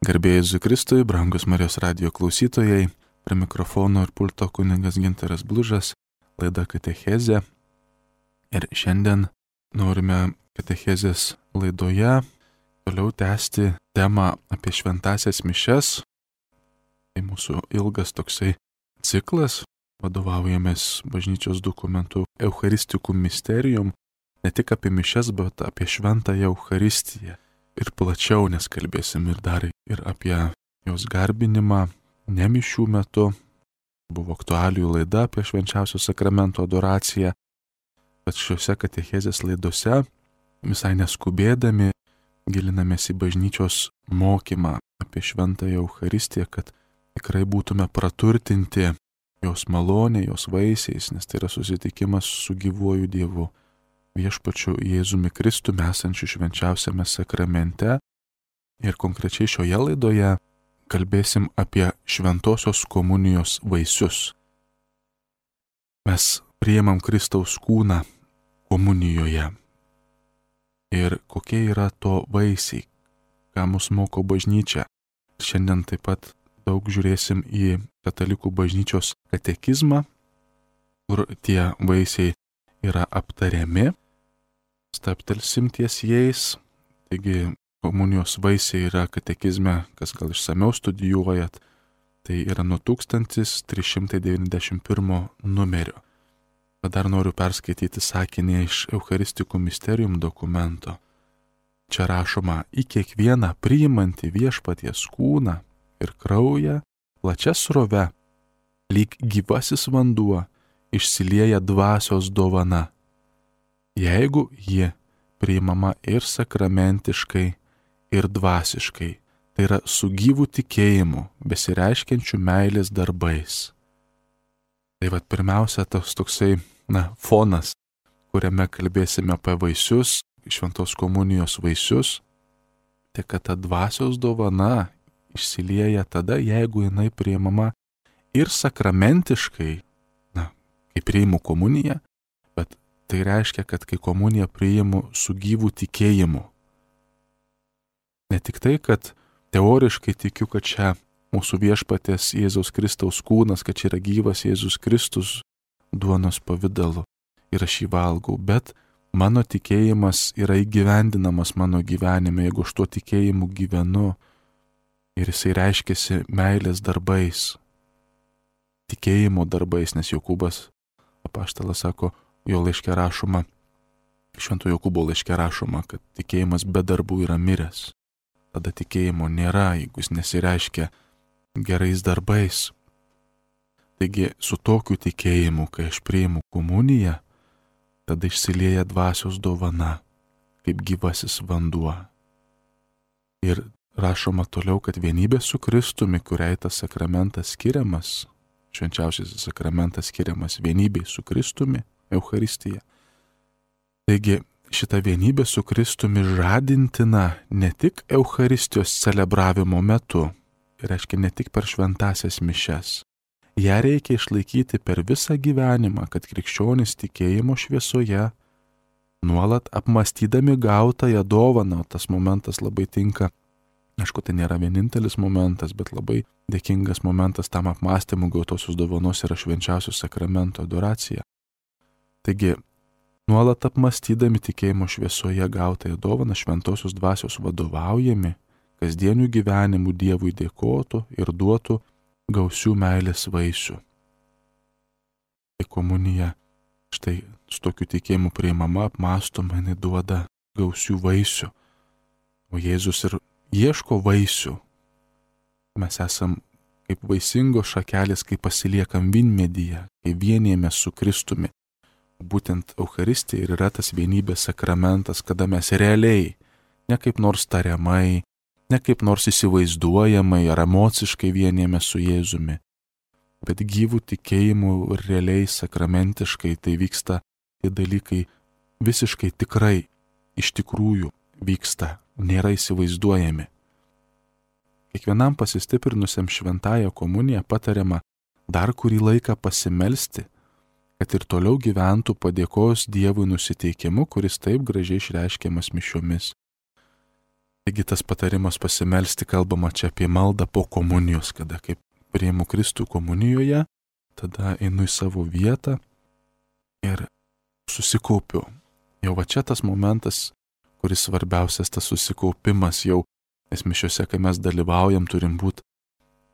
Garbėjai Jėzui Kristui, brangus Marijos radijo klausytojai, prie mikrofono ir pulto kunigas Gintaras Blužas, laida Katechezė. Ir šiandien norime Katechezės laidoje toliau tęsti temą apie šventąsias mišias. Tai mūsų ilgas toksai ciklas, vadovaujamės bažnyčios dokumentu Eucharisticum Mysterium, ne tik apie mišias, bet apie šventąją Eucharistiją. Ir plačiau, nes kalbėsim ir dar ir apie jos garbinimą ne mišių metu. Buvo aktualijų laida apie švenčiausio sakramento adoraciją, bet šiuose katechezės laidose visai neskubėdami gilinamės į bažnyčios mokymą apie šventąją Eucharistiją, kad tikrai būtume praturtinti jos malonę, jos vaisiais, nes tai yra susitikimas su gyvuoju Dievu, viešpačiu Jėzumi Kristumi esančiu švenčiausiame sakramente. Ir konkrečiai šioje laidoje kalbėsim apie šventosios komunijos vaisius. Mes priimam Kristaus kūną komunijoje. Ir kokie yra to vaisiai, ką mus moko bažnyčia. Šiandien taip pat daug žiūrėsim į katalikų bažnyčios katekizmą, kur tie vaisiai yra aptariami. Staptelsim ties jais. Taigi komunijos vaisiai yra katekizme, kas gal išsamiau studijuojat, tai yra nuo 1391 numerio. Bet dar noriu perskaityti sakinį iš Eucharisticum Mysterium dokumento. Čia rašoma: į kiekvieną priimantį viešpaties kūną ir kraują plačia srove, lyg gyvasis vanduo, išsilieja dvasios dovana. Jeigu ji priimama ir sakramentiškai, ir dvasiškai, tai yra su gyvu tikėjimu, besireiškiančiu meilės darbais. Tai vat pirmiausia tas toksai, fonas, kuriame kalbėsime apie vaisius, šventos komunijos vaisius, tai kad ta dvasios dovana išsilieja tada, jeigu jinai priimama ir sakramentiškai, kai priimu komuniją, bet tai reiškia, kad kai komuniją priimu su gyvu tikėjimu. Ne tik tai, kad teoriškai tikiu, kad čia mūsų viešpaties Jėzaus Kristaus kūnas, kad čia yra gyvas Jėzus Kristus duonos pavidalu ir aš jį valgau, bet mano tikėjimas yra įgyvendinamas mano gyvenime, jeigu aš tuo tikėjimu gyvenu ir jisai reiškiasi meilės darbais, tikėjimo darbais, nes Jokūbas apaštalas sako, jo laiške rašoma, Švento Jokūbo laiške rašoma, kad tikėjimas be darbų yra miręs. Tada tikėjimo nėra, jeigu jis nesireiškia gerais darbais. Taigi su tokiu tikėjimu, kai aš priimu komuniją, tada išsilieja dvasios dovana, kaip gyvasis vanduo. Ir rašoma toliau, kad vienybė su Kristumi, kuriai tas sakramentas skiriamas, švenčiausiasis sakramentas skiriamas vienybei su Kristumi, Eucharistija. Taigi šita vienybė su Kristumi žadintina ne tik Eucharistijos celebravimo metu, tai reiškia ne tik per šventąsias mišias. Ją reikia išlaikyti per visą gyvenimą, kad krikščionys tikėjimo šviesoje, nuolat apmąstydami gautąją dovaną, tas momentas labai tinka. Aišku, tai nėra vienintelis momentas, bet labai dėkingas momentas tam apmąstymui gautosios dovanos yra švenčiausio sakramento adoracija. Taigi, nuolat apmąstydami tikėjimo šviesoje gautąją dovaną šventosios dvasios vadovaujami, kasdienių gyvenimų Dievui dėkotų ir duotų gausių meilės vaisių. Tai komunija, štai su tokiu tikėjimu priimama, apmąstoma, jinai duoda gausių vaisių. O Jėzus ir ieško vaisių. Mes esam kaip vaisingos šakelės, kai pasiliekam vynmedyje, kai vienijamės su Kristumi. Būtent Eucharistija ir yra tas vienybės sakramentas, kada mes realiai, ne kaip nors tariamai, ne kaip nors įsivaizduojamai ar emociškai vienijamės su Jėzumi, bet gyvų tikėjimų ir realiai sakramentiškai tai vyksta, tie dalykai visiškai tikrai, iš tikrųjų vyksta, nėra įsivaizduojami. Kiekvienam pasistiprinusiam šventąją komuniją patariama dar kurį laiką pasimelsti, kad ir toliau gyventų padėkos Dievui nusiteikimu, kuris taip gražiai išreiškiamas mišiomis. Taigi tas patarimas pasimelsti kalbama čia apie maldą po komunijos, kada kaip priimu Kristų komunijoje, tada einu į savo vietą ir susikaupiu. Jau va čia tas momentas, kuris svarbiausias, tas susikaupimas jau, nes mišiuose, kai mes dalyvaujam, turim būti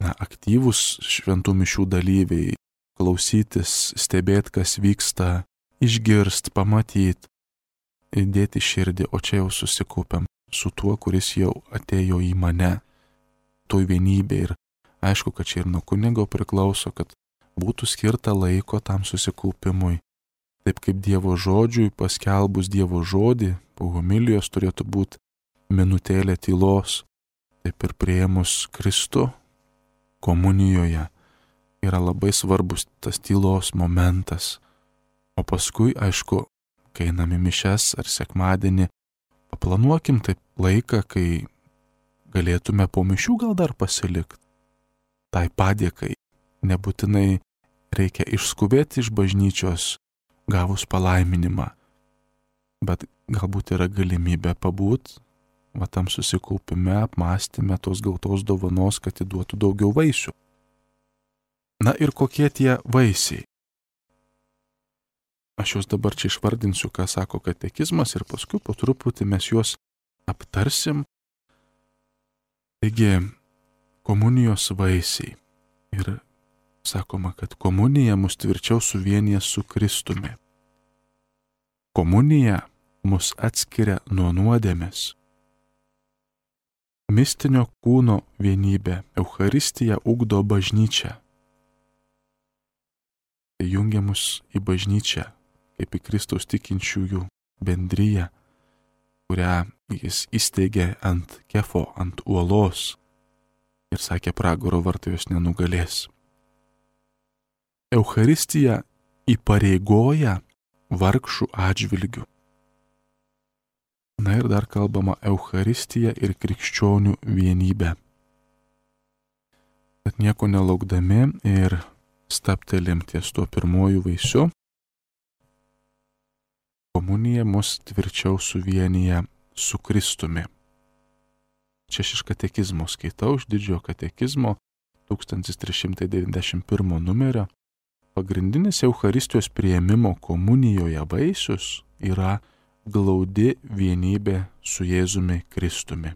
aktyvūs šventų mišių dalyviai, klausytis, stebėti, kas vyksta, išgirst, pamatyt, įdėti širdį, o čia jau susikaupiam su tuo, kuris jau atėjo į mane, toj vienybė. Ir aišku, kad čia ir nuo kunigo priklauso, kad būtų skirta laiko tam susikaupimui. Taip kaip Dievo žodžiui, paskelbus Dievo žodį, po homilijos turėtų būti minutėlė tylos, taip ir priėmus Kristų komunijoje yra labai svarbus tas tylos momentas. O paskui, aišku, kai einame mišias ar sekmadienį, paplanuokim taip laiką, kai galėtume po mišių gal dar pasilikti. Tai padėkai nebūtinai reikia išskubėti iš bažnyčios gavus palaiminimą, bet galbūt yra galimybė pabūt va tam susikaupime, apmąstyme tos gautos dovanos, kad įduotų daugiau vaisių. Na ir kokie tie vaisiai? Aš juos dabar čia išvardinsiu, ką sako katekizmas ir paskui po truputį mes juos aptarsim. Taigi, komunijos vaisiai. Ir sakoma, kad komunija mus tvirčiau suvienyje su Kristumi. Komunija mus atskiria nuo nuodėmės. Mistinio kūno vienybė, Eucharistija ugdo bažnyčią. Tai jungia mus į bažnyčią, kaip į Kristaus tikinčiųjų bendriją, kurią jis įsteigė ant kefo, ant uolos ir sakė, pragaro vartai jos nenugalės. Eucharistija įpareigoja vargšų atžvilgių. Na ir dar kalbama Eucharistija ir krikščionių vienybė. Bet nieko nelaukdami ir stabtelim ties tuo pirmuoju vaisiu. Komunija mus tvirčiau suvienyje su Kristumi. Čia iš katekizmo skaitau, iš didžiojo katekizmo 1391 numerio. Pagrindinis Eucharistijos priėmimo komunijoje vaisius yra glaudi vienybė su Jėzumi Kristumi.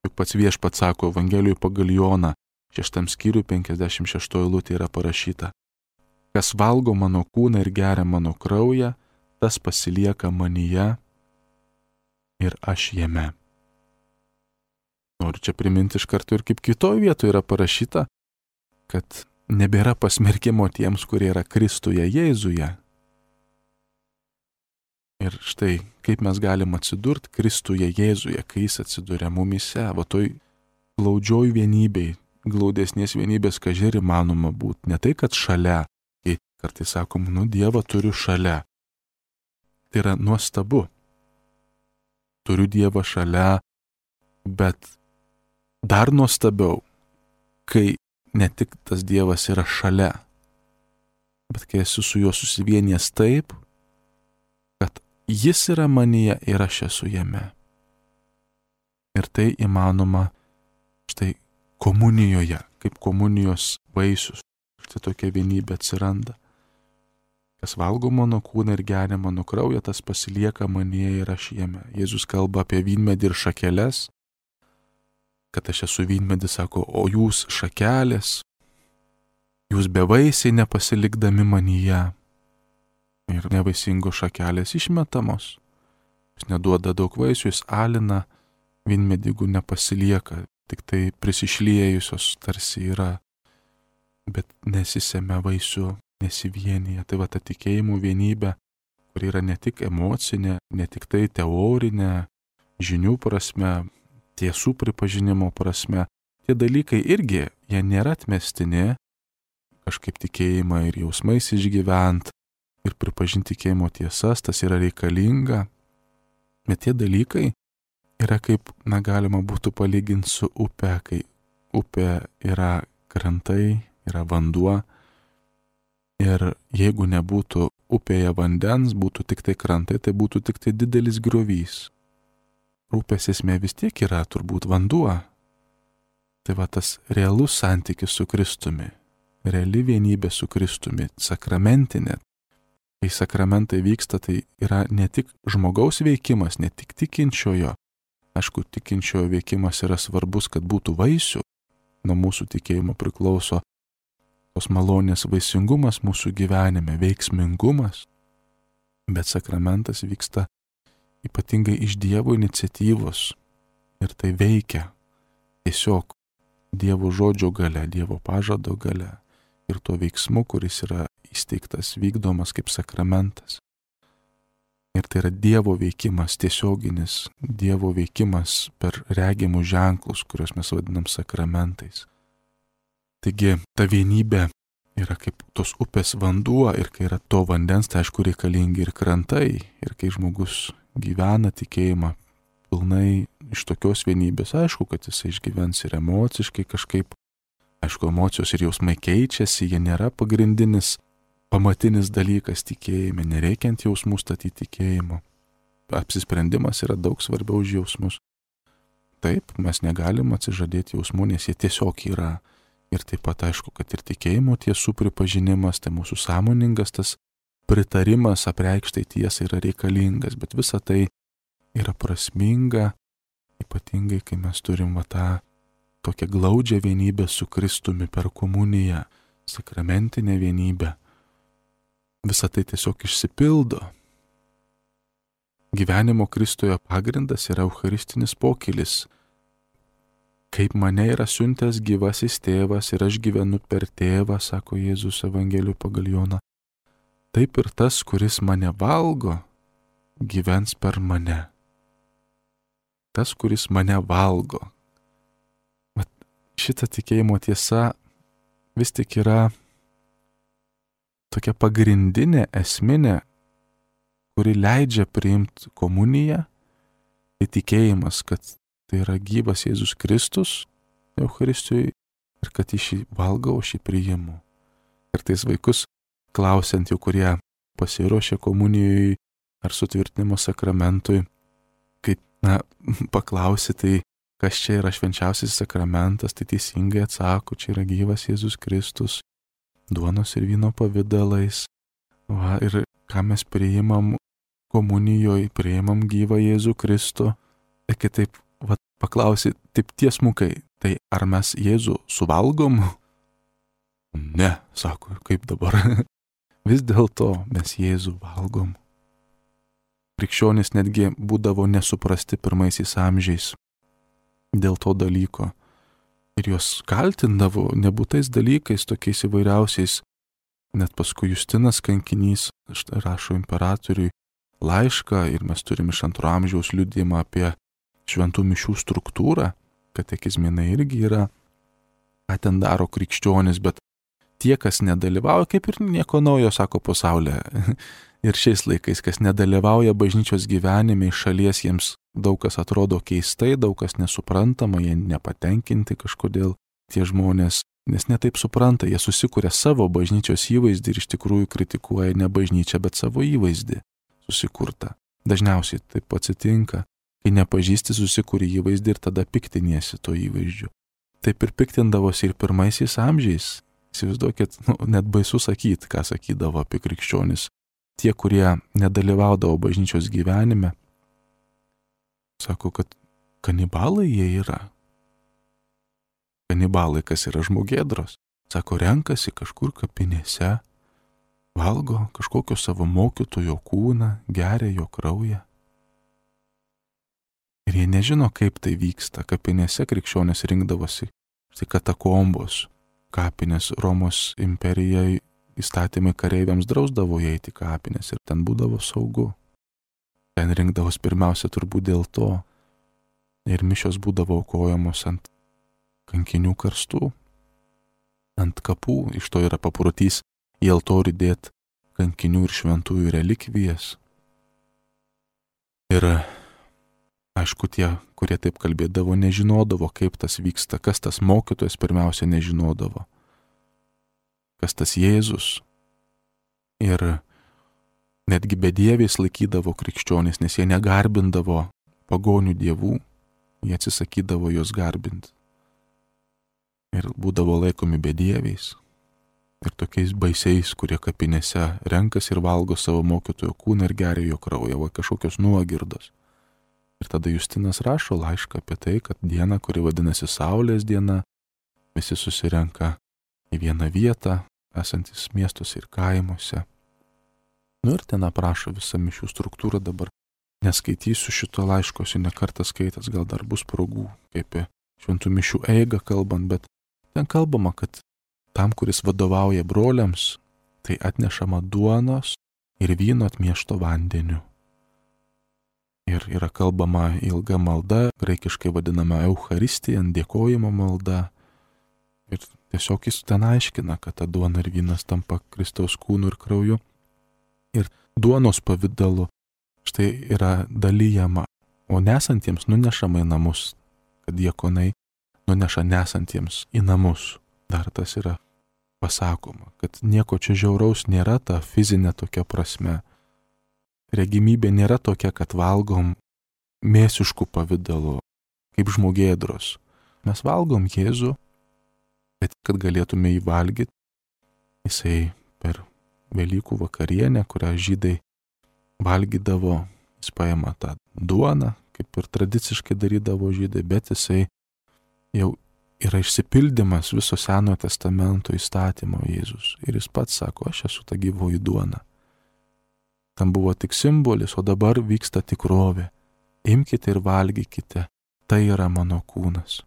Juk pats Viešpats sako Evangelijoje pagal Joną, 6 skyriui 56 eilutė yra parašyta: kas valgo mano kūną ir geria mano kraują, tas pasilieka manyje ir aš jame. Noriu čia priminti iš karto ir kaip kitoje vietoje yra parašyta, kad nebėra pasmerkimo tiems, kurie yra Kristuje Jėzuje. Ir štai, kaip mes galim atsidurti Kristuje Jėzuje, kai jis atsiduria mumyse, va toj glaudžioj vienybei, glaudesnės vienybės, kažkai ir įmanoma būti. Ne tai, kad šalia, kai kartais sakom, Dievą turiu šalia. Tai yra nuostabu. Turiu Dievą šalia, bet dar nuostabiau, kai ne tik tas Dievas yra šalia, bet kai esu su juo susivienijęs taip, kad jis yra manyje ir aš esu jame. Ir tai įmanoma štai komunijoje, kaip komunijos vaisius. Štai tokia vienybė atsiranda. Kas valgo mano kūną ir geria mano kraują, tas pasilieka manyje ir aš jame. Jėzus kalba apie vynmedį ir šakeles, kad aš esu vynmedis, sako, o jūs šakelės, jūs bevaisiai nepasilikdami manyje. Ir nevaisingos šakelės išmetamos. Jis neduoda daug vaisių, jis alina, vynmedį, jeigu nepasilieka, tik tai prisišliejusios tarsi yra, bet nesisemia vaisių, nesivienyje. Tai va ta tikėjimų vienybė, kuri yra ne tik emocinė, ne tik tai teorinė, žinių prasme, tiesų pripažinimo prasme. Tie dalykai irgi, jie nėra atmestini, kažkaip tikėjimą ir jausmais išgyvent, ir pripažinti tikėjimo tiesas, tas yra reikalinga. Bet tie dalykai yra kaip, galima būtų palyginti su upe, kai upė yra krantai, yra vanduo. Ir jeigu nebūtų upėje vandens, būtų tik tai krantai, tai būtų tik tai didelis griovys. rūpės esmė vis tiek yra turbūt vanduo. Tai va tas realus santykis su Kristumi, reali vienybė su Kristumi, sakramentinė. Kai sakramentai vyksta, tai yra ne tik žmogaus veikimas, ne tik tikinčiojo. Aišku, tikinčiojo veikimas yra svarbus, kad būtų vaisių. Nuo mūsų tikėjimo priklauso tos malonės vaisingumas mūsų gyvenime, veiksmingumas. Bet sakramentas vyksta ypatingai iš Dievo iniciatyvos. Ir tai veikia tiesiog Dievo žodžio galia, Dievo pažado galia. Ir tuo veiksmu, kuris yra įsteigtas, vykdomas kaip sakramentas. Ir tai yra Dievo veikimas, tiesioginis Dievo veikimas per regimus ženklus, kuriuos mes vadinam sakramentais. Taigi ta vienybė yra kaip tos upės vanduo ir kai yra to vandens, tai aišku reikalingi ir krantai. Ir kai žmogus gyvena tikėjimą pilnai iš tokios vienybės, aišku, kad jisai išgyvens ir emociškai kažkaip. Aišku, emocijos ir jausmai keičiasi, jie nėra pagrindinis, pamatinis dalykas tikėjime, nereikia ant jausmų statyti tikėjimo. Apsisprendimas yra daug svarbiau už jausmus. Taip, mes negalim atsižadėti jausmų, nes jie tiesiog yra. Ir taip pat aišku, kad ir tikėjimo tiesų pripažinimas, tai mūsų sąmoningas tas pritarimas apreikštai tiesai yra reikalingas, bet visa tai yra prasminga, ypatingai kai mes turim tą tokią glaudžią vienybę su Kristumi per komuniją, sakramentinę vienybę. Visa tai tiesiog išsipildo. Gyvenimo Kristuje pagrindas yra eucharistinis pokylis. Kaip mane yra siuntęs gyvasis tėvas ir aš gyvenu per tėvą, sako Jėzus Evangelijų pagal Joną, taip ir tas, kuris mane valgo, gyvens per mane. Tas, kuris mane valgo. Šita tikėjimo tiesa vis tik yra tokia pagrindinė, esminė, kuri leidžia priimti komuniją, tai tikėjimas, kad tai yra gyvas Jėzus Kristus Eucharistijoje ir kad iš jį valgau, aš jį priimu. Kartais vaikus klausiant jau, kurie pasiruošė komunijai ar sutvirtinimo sakramentui, kai, paklausi, tai kas čia yra švenčiausias sakramentas, tai teisingai atsako, čia yra gyvas Jėzus Kristus, duonos ir vyno pavidalais. Va, ir ką mes priimam komunijoje, priimam gyvą Jėzų Kristų. Ir kitaip, paklausi, taip tiesmukai, tai ar mes Jėzų suvalgom? Ne, sako, kaip dabar. Vis dėlto mes Jėzų valgom. Krikščionys netgi būdavo nesuprasti pirmaisiais amžiais dėl to dalyko. Ir juos kaltindavo nebūtais dalykais, tokiais įvairiausiais. Net paskui Justinas kankinys rašo imperatoriui laišką ir mes turim iš 2 amžiaus liudijimą apie šventų mišių struktūrą. Katekizminai irgi yra, ką ten daro krikščionis, bet tie, kas nedalyvauja, kaip ir nieko naujo, sako pasaulyje. Ir šiais laikais, kas nedalyvauja bažnyčios gyvenime, iš šalies jiems daug kas atrodo keistai, daug kas nesuprantama, jie nepatenkinti kažkodėl tie žmonės, nes netaip supranta, jie susikuria savo bažnyčios įvaizdį ir iš tikrųjų kritikuoja ne bažnyčią, bet savo įvaizdį susikurtą. Dažniausiai taip atsitinka, kai nepažįsti susikuri įvaizdį ir tada piktiniesi to įvaizdžiu. Taip ir piktindavosi ir pirmaisiais amžiais. Įsivaizduokit, net baisu sakyti, ką sakydavo apie krikščionis. Tie, kurie nedalyvaudavo bažnyčios gyvenime, sako, kad kanibalai jie yra. Kanibalai, kas yra žmogėdros. Sako, renkasi kažkur kapinėse, valgo kažkokio savo mokytojo kūną, geria jo kraują. Ir jie nežino, kaip tai vyksta. Kapinėse krikščionės rinkdavosi, tai katakombos, kapinės Romos imperijai. Įstatymai kareiviams drausdavo įeiti kapinės ir ten būdavo saugu. Ten rinkdavos pirmiausia turbūt dėl to. Ir mišios būdavo aukojamos ant kankinių karstų, ant kapų. Iš to yra paprotys į altorių dėti kankinių ir šventųjų relikvijas. Ir aišku, tie, kurie taip kalbėdavo, nežinodavo, kaip tas vyksta, kas tas mokytojas pirmiausia nežinodavo. Kas tas Jėzus. Ir netgi bedieviais laikydavo krikščionys, nes jie negarbindavo pagonių dievų, jie atsisakydavo juos garbinti. Ir būdavo laikomi bedieviais. Ir tokiais baisiais, kurie kapinėse renkasi ir valgo savo mokytojo kūną ir geria jo kraują, va kažkokios nuogirdos. Ir tada Justinas rašo laišką apie tai, kad diena, kuri vadinasi Saulės diena, visi susirenka į vieną vietą, esantis miestuose ir kaimuose. Ir ten aprašo visą mišių struktūrą, dabar neskaitysiu šito laiško, esu ne kartą skaitęs, gal dar bus progų, kaip šventų mišių eigą kalbant, bet ten kalbama, kad tam, kuris vadovauja broliams, tai atnešama duonos ir vyno atmiešto vandeniu. Ir yra kalbama ilga malda, graikiškai vadinama Eucharistija, dėkojimo malda. Ir tiesiog jis ten aiškina, kad ta duona ir vynas tampa Kristaus kūnu ir krauju. Ir duonos pavidalu štai yra dalyjama, o nesantiems nunešama į namus, kad diakonai nuneša nesantiems į namus. Dar tas yra pasakoma, kad nieko čia žiauraus nėra ta fizinė tokia prasme. Regimybė nėra tokia, kad valgom mėsiškų pavidalu, kaip žmogėdros. Mes valgom Jėzų, bet kad galėtume jį valgyti, jisai per Velykų vakarienę, kurią žydai valgydavo, jis paima tą duoną, kaip ir tradiciškai darydavo žydai, bet jisai jau yra išsipildymas viso Senojo testamento įstatymo Jėzus. Ir jis pats sako, aš esu ta gyvoji duona. Tam buvo tik simbolis, o dabar vyksta tikrovė. Imkite ir valgykite, tai yra mano kūnas.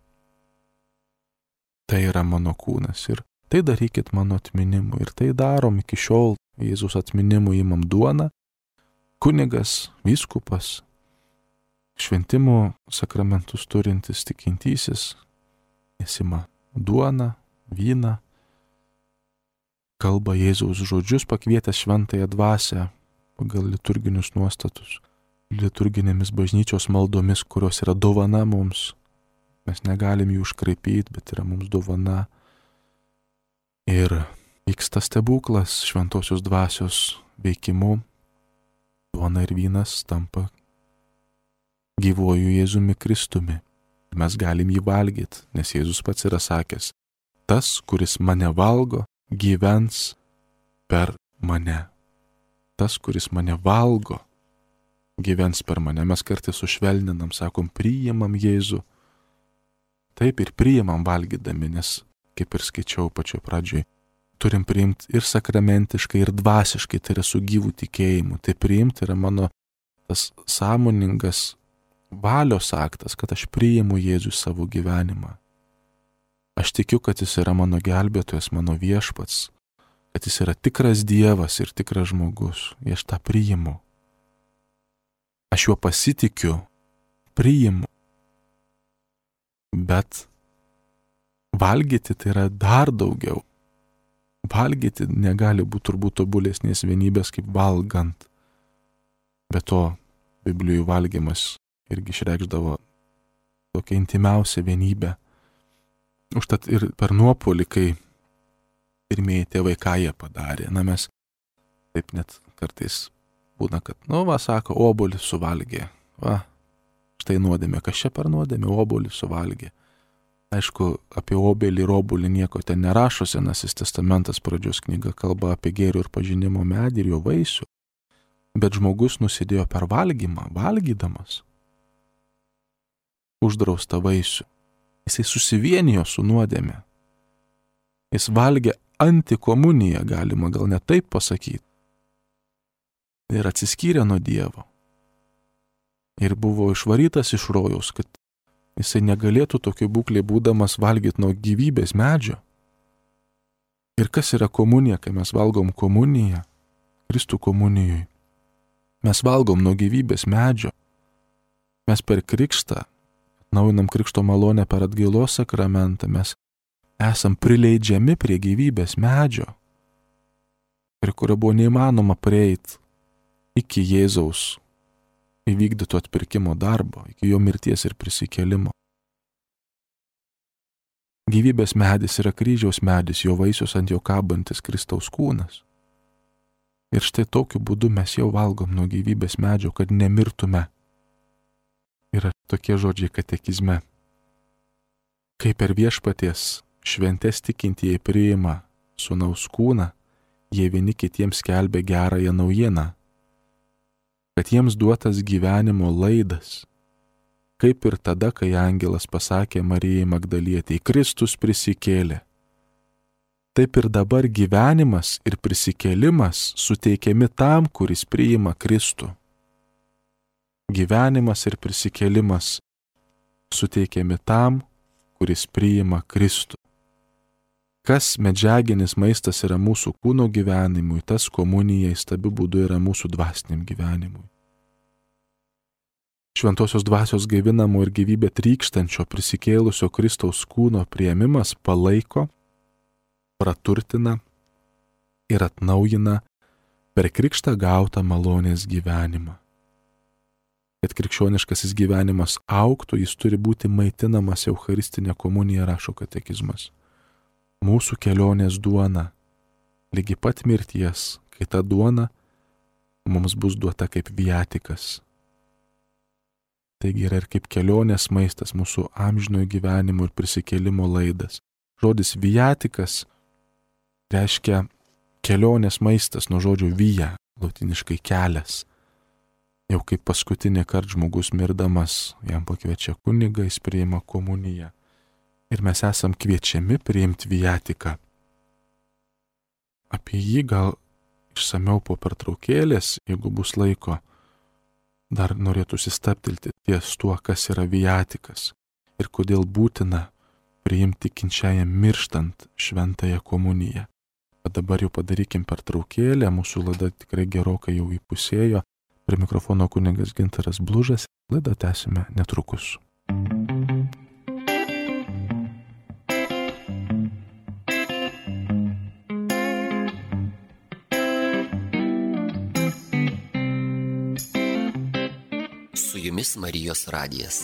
Tai yra mano kūnas ir tai darykit mano atminimu. Ir tai darom iki šiol. Jėzus atminimu imam duoną, kunigas, vyskupas, šventimo sakramentus turintis tikintysis, jis ima duoną, vyną, kalba Jėzaus žodžius, pakvietęs šventąją dvasią pagal liturginius nuostatus, liturginėmis bažnyčios maldomis, kurios yra dovana mums. Mes negalim jų iškraipyti, bet yra mums dovana. Ir vyksta stebuklas šventosios dvasios veikimu. Duona ir vynas tampa gyvuoju Jėzumi Kristumi. Mes galim jį valgyti, nes Jėzus pats yra sakęs, tas, kuris mane valgo, gyvens per mane. Tas, kuris mane valgo, gyvens per mane. Mes kartais sušvelninam, sakom, priimam Jėzų. Taip ir priimam valgydami, nes, kaip ir skaičiau pačioj pradžioj, turim priimti ir sakramentiškai, ir dvasiškai, tai yra su gyvų tikėjimu. Tai priimti yra mano tas sąmoningas valios aktas, kad aš priimu Jėzų savo gyvenimą. Aš tikiu, kad jis yra mano gelbėtojas, mano viešpats, kad jis yra tikras Dievas ir tikras žmogus. Ir aš tą priimu. Aš juo pasitikiu, priimu. Bet valgyti tai yra dar daugiau. Valgyti negali būti turbūt tobulesnės vienybės kaip valgant. Be to, Biblijų valgymas irgi išreikšdavo tokią intimiausią vienybę. Užtat ir per nuopuolį, kai pirmieji tėvai ką jie padarė, mes taip net kartais būna, kad, sako, obuolį suvalgė. Štai nuodėmė, kas čia per nuodėmė, obuolį suvalgė. Aišku, apie obelį ir obuolį nieko ten nerašo, Senasis testamentas pradžios knyga kalba apie gėrio ir pažinimo medį ir jo vaisių. Bet žmogus nusidėjo per valgymą, valgydamas uždraustą vaisių. Jisai susivienijo su nuodėme. Jis valgė antikomuniją, galima gal net taip pasakyti. Ir atsiskyrė nuo Dievo. Ir buvo išvarytas iš rojaus, kad jisai negalėtų tokioj būklėje būdamas valgyti nuo gyvybės medžio. Ir kas yra komunija, kai mes valgom komuniją, Kristų komunijoj? Mes valgom nuo gyvybės medžio. Mes per krikštą, atnaujinam krikšto malonę per atgailos sakramentą, mes esam prileidžiami prie gyvybės medžio, prie kurio buvo neįmanoma prieiti iki Jėzaus įvykdyto atpirkimo darbo, iki jo mirties ir prisikėlimo. Gyvybės medis yra kryžiaus medis, jo vaisius ant jo kabantis Kristaus kūnas. Ir štai tokiu būdu mes jau valgom nuo gyvybės medžio, kad nemirtume. yra tokie žodžiai katekizme. Kai per viešpaties šventes tikintieji priima sūnaus kūną, jie vieni kitiems skelbia gerąją naujieną, kad jiems duotas gyvenimo laidas, kaip ir tada, kai angelas pasakė Marijai Magdalietei, Kristus prisikėlė. Taip ir dabar gyvenimas ir prisikėlimas suteikiami tam, kuris priima Kristų. Gyvenimas ir prisikėlimas suteikiami tam, kuris priima Kristų. Kas medžiaginis maistas yra mūsų kūno gyvenimui, tas komunija įstabiu būdu yra mūsų dvasiniam gyvenimui. Šventosios dvasios gaivinamo ir gyvybę trykštančio prisikėlusio Kristaus kūno priėmimas palaiko, praturtina ir atnaujina per krikštą gautą malonės gyvenimą. Kad krikščioniškasis gyvenimas augtų, jis turi būti maitinamas Eucharistinė komunija, rašo katekizmas. Mūsų kelionės duona, lygi pat mirties, kai ta duona mums bus duota kaip viatikas. Taigi yra ir kaip kelionės maistas mūsų amžinojo gyvenimo ir prisikėlimo laidas. Žodis viatikas reiškia kelionės maistas nuo žodžio via, lotiniškai kelias. Jau kaip paskutinį kartą žmogus mirdamas, jam pakviečia kunigą, jis priima komuniją. Ir mes esam kviečiami priimti viatiką. Apie jį gal išsamiau po pertraukėlės, jeigu bus laiko, dar norėtųsi stabtelti ties tuo, kas yra viatikas ir kodėl būtina priimti tikinčiajam mirštant šventąją komuniją. Bet dabar jau padarykim pertraukėlę, mūsų laida tikrai gerokai jau įpusėjo. Prie mikrofono kunigas Gintaras Blužas, laidą tęsime netrukus. Su jumis Marijos radijas.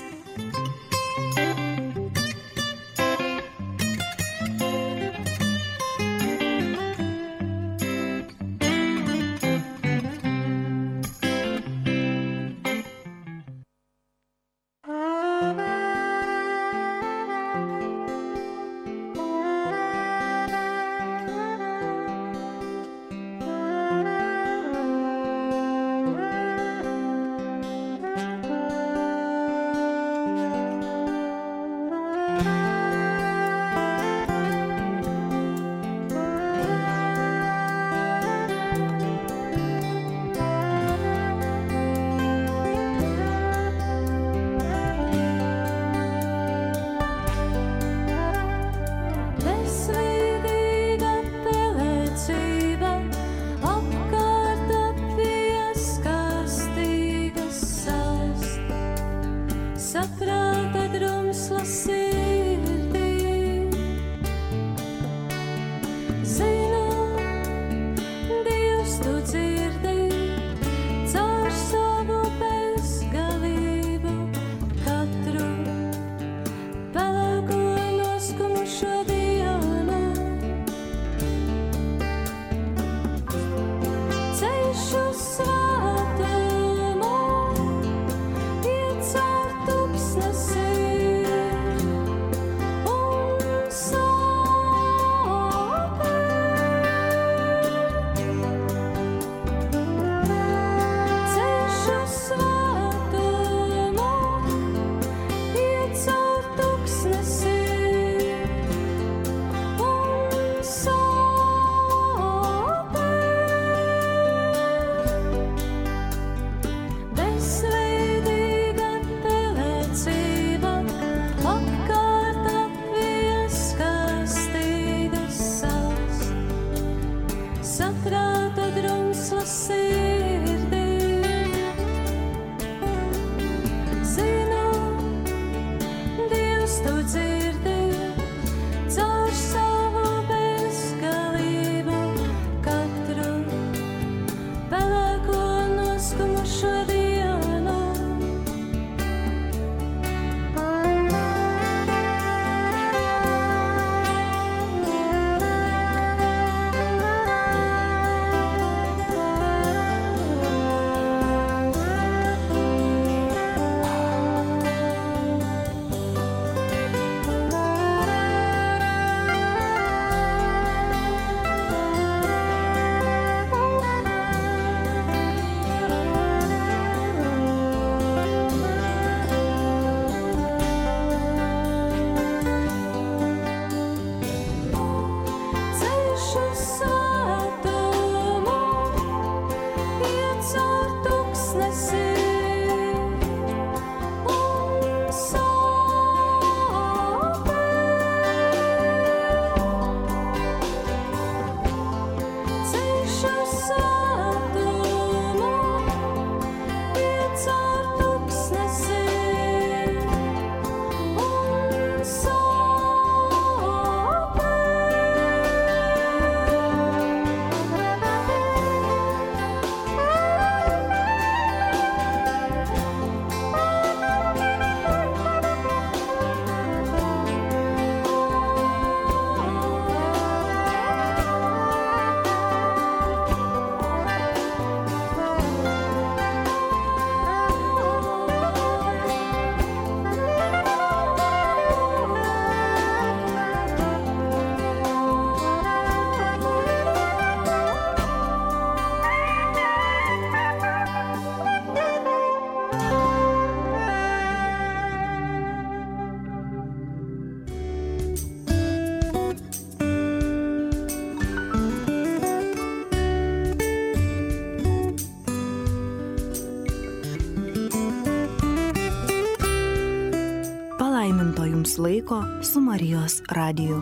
laiko su Marijos radiju.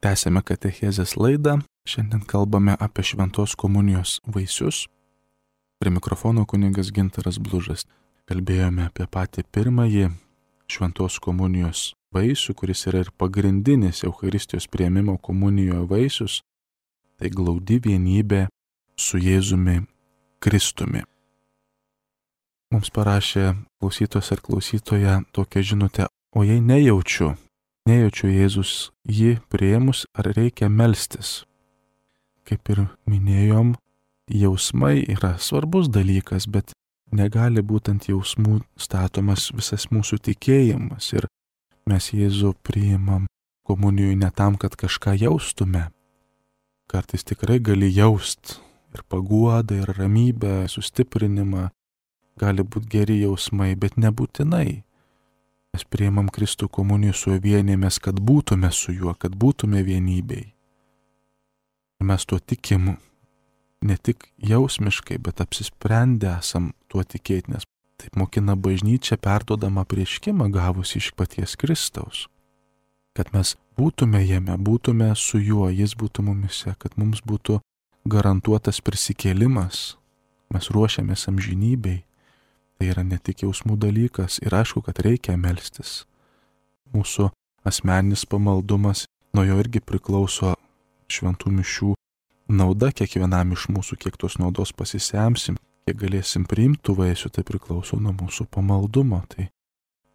Tęsėme katechezės laidą. Šiandien kalbame apie šventos komunijos vaisius. Prie mikrofono kunigas Gintaras Blužas. Kalbėjome apie patį pirmąjį šventos komunijos vaisių, kuris yra ir pagrindinis Eucharistijos priėmimo komunijoje vaisius. Tai glaudi vienybė su Jėzumi Kristumi. Mums parašė klausytojas ar klausytoja tokią žinutę: o jei nejaučiu Jėzus jį priėmus, ar reikia melstis? Kaip ir minėjom, jausmai yra svarbus dalykas, bet negali būti ant jausmų statomas visas mūsų tikėjimas. Ir mes Jėzų priimam komunijoje ne tam, kad kažką jaustume. Kartais tikrai gali jaust ir paguodą, ir ramybę, sustiprinimą. Gali būti geri jausmai, bet nebūtinai. Mes priimam Kristų komuniją, su juo vienėmės, kad būtume su juo, kad būtume vienybėj. Mes tuo tikim ne tik jausmiškai, bet apsisprendę esam tuo tikėti, nes taip mokina bažnyčia perduodama apreiškimą gavusi iš paties Kristaus. Kad mes būtume jame, būtume su juo, jis būtų mumise, kad mums būtų garantuotas prisikėlimas. Mes ruošiamės amžinybei. Tai yra ne tik jausmų dalykas ir aišku, kad reikia melstis. Mūsų asmeninis pamaldumas, nuo jo irgi priklauso šventų mišių nauda kiekvienam iš mūsų, kiek tos naudos pasisemsim, kiek galėsim priimti tų vaisių, tai priklauso nuo mūsų pamaldumo. Tai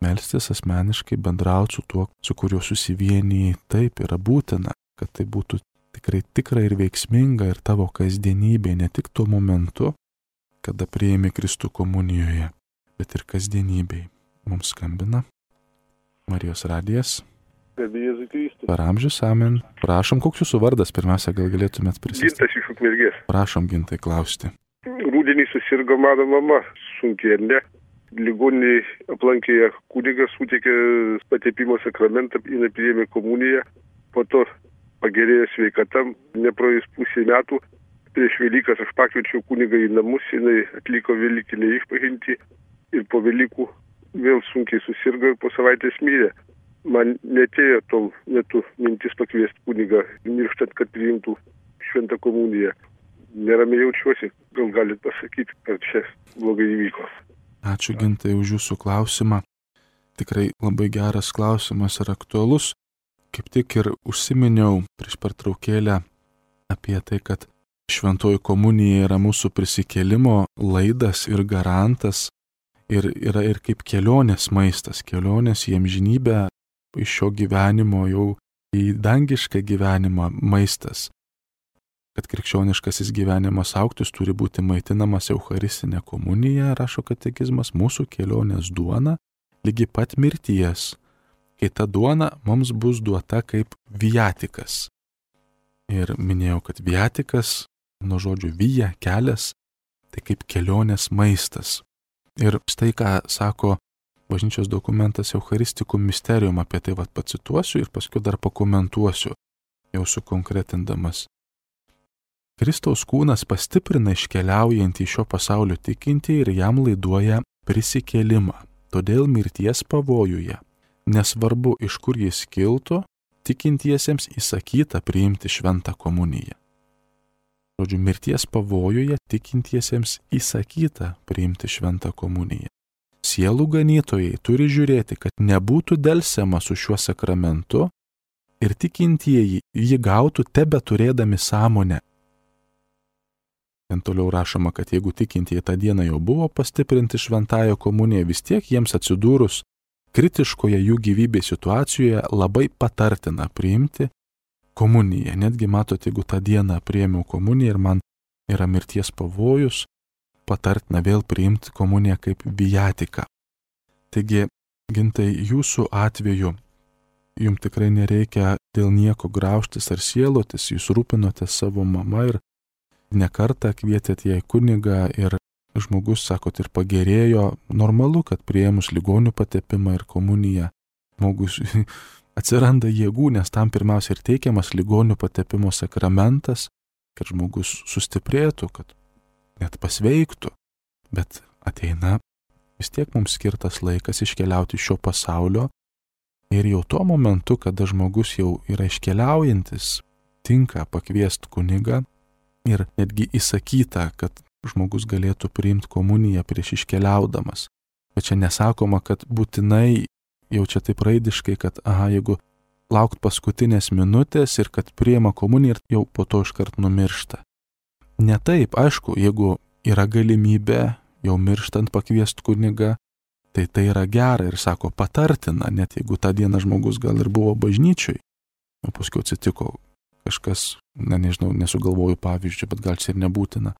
melstis asmeniškai, bendrauti su tuo, su kuriuo susivienijai, taip yra būtina, kad tai būtų tikrai ir veiksminga ir tavo kasdienybė, ne tik tuo momentu, kada priėmė Kristų komunijoje, bet ir kasdienybėj. Mums skambina Marijos radijas. Garbė Jėzui Kristui. Per amžius, amen. Prašom, koks jūsų vardas? Pirmiausia, gal galėtumėt pristatyti. Gintas iš Ukmergės. Prašom, Gintai, klausti. Rūdienį susirgo mano mama sunkiai, ar ne? Ligoninėje aplankė ją kunigas, suteikė patepimo sakramentą, jinai priėmė komuniją, po to pagerėjo sveikata, nepraėjus pusė metų. Prieš Velykas aš pakviečiau kunigą į namus, jinai atliko velykinę išpažintį ir po Velykų vėl sunkiai susirgo ir po savaitės mirė. Man netėjo tol metu mintis pakviesti kunigą, mirštant, kad priimtų šventą komuniją. Neramiai jaučiuosi, gal galit pasakyti, kad čia blogai įvyko. Ačiū, Gintai, už jūsų klausimą. Tikrai labai geras klausimas ir aktualus. Kaip tik ir užsiminiau prieš pertraukėlę apie tai, kad šventoji komunija yra mūsų prisikėlimo laidas ir garantas ir yra ir kaip kelionės maistas, kelionės į amžinybę, iš šio gyvenimo jau į dangišką gyvenimą maistas. Kad krikščioniškasis gyvenimas augtų, turi būti maitinamas Eucharistinė komunija, rašo katekizmas, mūsų kelionės duona, lygi pat mirties, kai ta duona mums bus duota kaip viatikas. Ir minėjau, kad viatikas, nuo žodžių vija, kelias, tai kaip kelionės maistas. Ir štai ką sako bažnyčios dokumentas Eucharisticum Mysterium, apie tai pacituosiu ir paskui dar pakomentuosiu, jau sukonkretindamas. Kristaus kūnas pastiprina iškeliaujantį šio pasaulio tikintį ir jam laiduoja prisikėlimą. Todėl mirties pavojuje, nesvarbu iš kur jis kiltų, tikintiesiems įsakyta priimti šventą komuniją. Žodžiu, mirties pavojuje tikintiesiems įsakyta priimti šventą komuniją. Sielų ganytojai turi žiūrėti, kad nebūtų delsiama su šiuo sakramentu ir tikintieji jį gautų tebeturėdami sąmonę. Ten toliau rašoma, kad jeigu tikintieji tą dieną jau buvo pastiprinti šventąją komuniją, vis tiek jiems atsidūrus kritiškoje jų gyvybės situacijoje labai patartina priimti komuniją. Netgi matot, jeigu tą dieną priėmiau komuniją ir man yra mirties pavojus, patartina vėl priimti komuniją kaip viatiką. Taigi, Gintai, jūsų atveju jums tikrai nereikia dėl nieko graužtis ar sielotis, jūs rūpinote savo mama ir nekartą kvietėt ją į kunigą ir žmogus, sakot, ir pagerėjo. Normalu, kad priėmus ligonių patepimą ir komuniją, žmogus atsiranda jėgų, nes tam pirmiausia ir teikiamas ligonių patepimo sakramentas, kad žmogus sustiprėtų, kad net pasveiktų. Bet ateina vis tiek mums skirtas laikas iškeliauti iš šio pasaulio ir jau tuo momentu, kada žmogus jau yra iškeliaujantis, tinka pakviesti kunigą ir netgi įsakyta, kad žmogus galėtų priimti komuniją prieš iškeliaudamas. Bet čia nesakoma, kad būtinai jau čia taip raidiškai, kad jeigu laukt paskutinės minutės ir kad priima komuniją ir jau po to iškart numiršta. Ne taip, aišku, jeigu yra galimybė jau mirštant pakviesti kunigą, tai yra gera ir sako patartina, net jeigu tą dieną žmogus gal ir buvo bažnyčioj, o paskui atsitiko kažkas, nežinau, nesugalvoju pavyzdžių, bet gal čia ir nebūtina.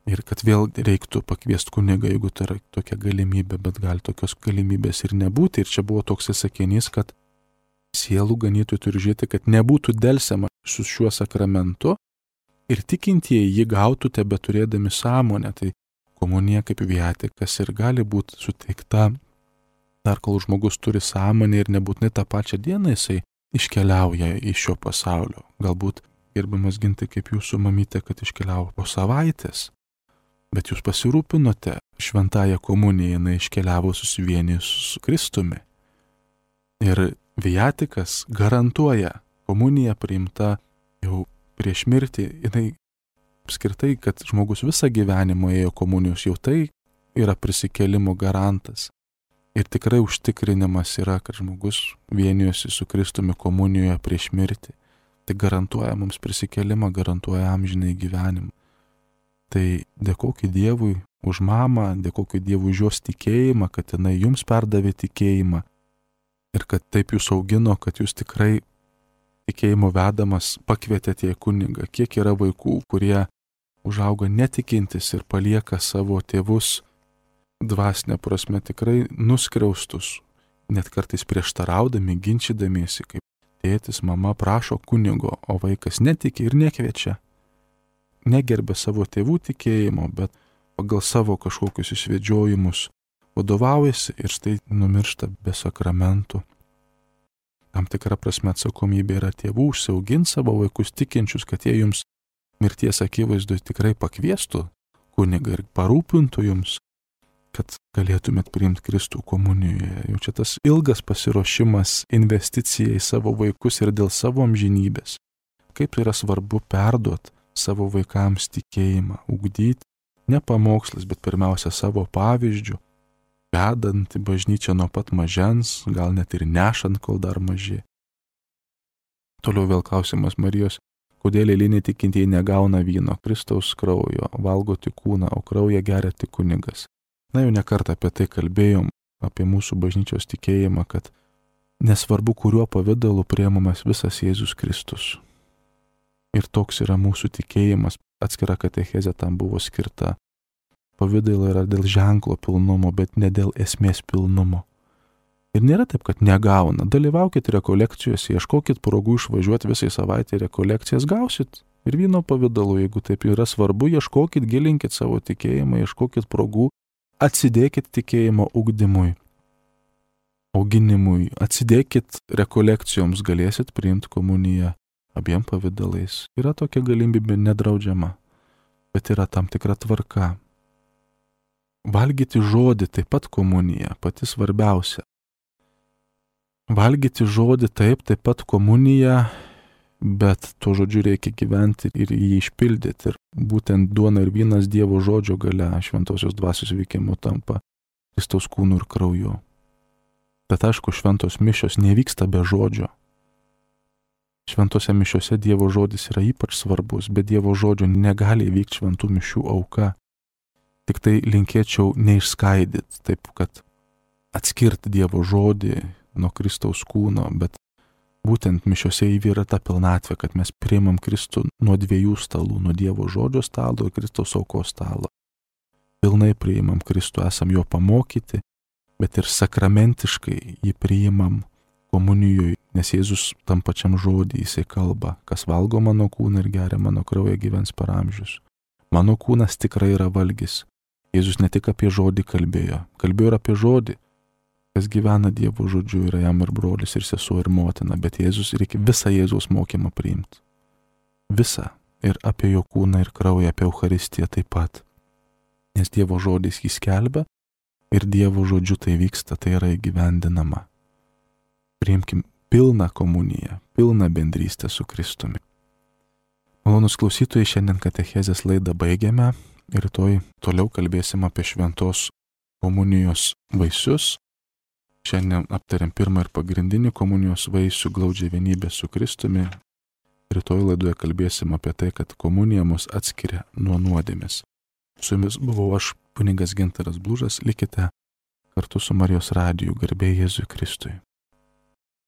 Ir kad vėl reiktų pakviesti kunigą, jeigu tai yra tokia galimybė, bet gali tokios galimybės ir nebūti. Ir čia buvo toks sakinys, kad sielų ganytojai turi žiūrėti, kad nebūtų delsiama su šiuo sakramentu ir tikintieji jį gautų tebe turėdami sąmonę. Tai komunija kaip viatikas ir gali būti suteikta dar kol žmogus turi sąmonę ir nebūtinai tą pačią dieną jisai iškeliauja iš šio pasaulio. Galbūt, gerbiamas Gintai, kaip jūsų mamytė, kad iškeliavo po savaitės. Bet jūs pasirūpinote šventąją komuniją, jinai iškeliavo susivienijus su Kristumi. Ir viatikas garantuoja komuniją priimta jau prieš mirtį, jinai apskritai, kad žmogus visą gyvenimą ėjo komunijos, jau tai yra prisikėlimo garantas. Ir tikrai užtikrinimas yra, kad žmogus vienijosi su Kristumi komunijoje prieš mirtį. Tai garantuoja mums prisikėlimą, garantuoja amžinai gyvenimą. Tai dėkokit Dievui už mamą, dėkokit Dievui už jos tikėjimą, kad jinai jums perdavė tikėjimą ir kad taip jūs augino, kad jūs tikrai tikėjimo vedamas pakvietėte į kunigą. Kiek yra vaikų, kurie užauga netikintis ir palieka savo tėvus dvasinė prasme tikrai nuskriaustus, net kartais prieštaraudami, ginčydamiesi, kaip tėtis, mama prašo kunigo, o vaikas netiki ir nekviečia. Negerbė savo tėvų tikėjimo, bet pagal savo kažkokius išvedžiojimus vadovaujasi ir štai numiršta be sakramentų. Tam tikra prasme atsakomybė yra tėvų užsiauginti savo vaikus tikinčius, kad jie jums mirties akivaizdoje tikrai pakviestų kunigą ir parūpintų jums, kad galėtumėt priimti Kristų komunijoje. Jau čia tas ilgas pasiruošimas, investicija į savo vaikus ir dėl savo amžinybės. Kaip yra svarbu perduoti savo vaikams tikėjimą, ugdyti ne pamokslas, bet pirmiausia savo pavyzdžių, vedant į bažnyčią nuo pat mažens, gal net ir nešant, kol dar maži. Toliau vėl klausimas Marijos, kodėl eiliniai tikintieji negauna vyno, Kristaus kraujo, valgo tik kūną, o kraują geria tik kunigas. Na, jau nekartą apie tai kalbėjom, apie mūsų bažnyčios tikėjimą, kad nesvarbu, kuriuo pavidalu priimamas visas Jėzus Kristus. Ir toks yra mūsų tikėjimas, atskira katechezė tam buvo skirta. Pavidalai yra dėl ženklo pilnumo, bet ne dėl esmės pilnumo. Ir nėra taip, kad negauna. Dalyvaukit rekolekcijose, ieškokit progų išvažiuoti visai savaitę rekolekcijas, gausit. Ir vyno pavidalu, jeigu taip yra svarbu, ieškokit, gilinkit savo tikėjimą, ieškokit progų, atsidėkit tikėjimo ugdymui, auginimui, atsidėkit rekolekcijoms, galėsit priimti komuniją abiem pavidalais. Yra tokia galimybė nedraudžiama, bet yra tam tikra tvarka. Valgyti žodį taip pat komunija, pati svarbiausia. Valgyti žodį taip pat komunija, bet tuo žodžiu reikia gyventi ir jį išpildyti. Ir būtent duona ir vynas Dievo žodžio galia, šventosios dvasios veikimu tampa Kristaus kūnu ir krauju. Bet aišku, šventos mišios nevyksta be žodžio. Šventose mišiose Dievo žodis yra ypač svarbus, bet Dievo žodžio negali įvykti šventų mišių auka. Tik tai linkėčiau neišskaidyti, taip kad atskirti Dievo žodį nuo Kristaus kūno, bet būtent mišiose įvyra ta pilnatvė, kad mes priimam Kristų nuo dviejų stalų, nuo Dievo žodžio stalo ir Kristaus aukos stalo. Pilnai priimam Kristų, esam jo pamokyti, bet ir sakramentiškai jį priimam komunijoje, nes Jėzus tam pačiam žodį jisai kalba, kas valgo mano kūną ir geria mano kraują gyvens per amžius. Mano kūnas tikrai yra valgis. Jėzus ne tik apie žodį kalbėjo ir apie žodį. Kas gyvena Dievo žodžiu, yra jam ir brolis, ir sesuo, ir motina, bet Jėzus reikia visą Jėzaus mokymą priimti. Visą. Ir apie jo kūną ir kraują, apie Eucharistiją taip pat. Nes Dievo žodis jį skelbia, ir Dievo žodžiu tai vyksta, tai yra įgyvendinama. Priimkim pilną komuniją, pilną bendrystę su Kristumi. Malonus klausytojai, šiandien katechezės laidą baigiame ir rytoj toliau kalbėsim apie šventos komunijos vaisius. Šiandien aptariam pirmą ir pagrindinį komunijos vaisių glaudžią vienybę su Kristumi. Rytoj laidoje kalbėsim apie tai, kad komunija mus atskiria nuo nuodėmės. Su jumis buvau aš, kunigas Gintaras Blužas, likite kartu su Marijos radiju, garbė Jėzui Kristui.